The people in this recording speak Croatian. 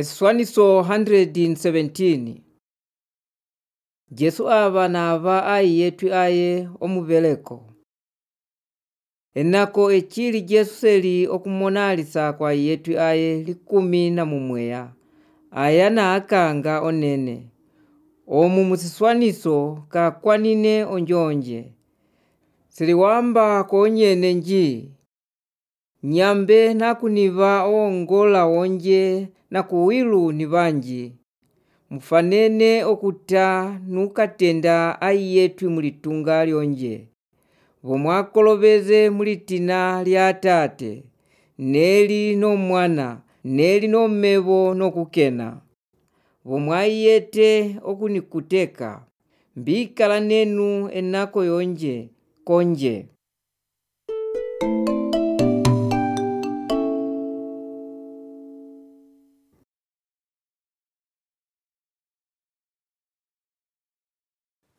Eswaniso 117. Jesu ava nava ai yetu aye omubeleko. Enako echili Jesu seli okumonalisa kwa yetu aye 11. Aya na akanga onene. Omu musiswaniso kakwanine onjonje. Siliwamba konyene nji. Nyambe nakuniva ongola onje na kuwilu ni vanji. Mufanene okuta nukatenda ai yetu mulitunga lyonje. Vomwakolobeze mulitina lya tate, neli no mwana, neli no mmevo no kukena. Vomwaiyete okunikuteka, mbikala nenu enako yonje, konje.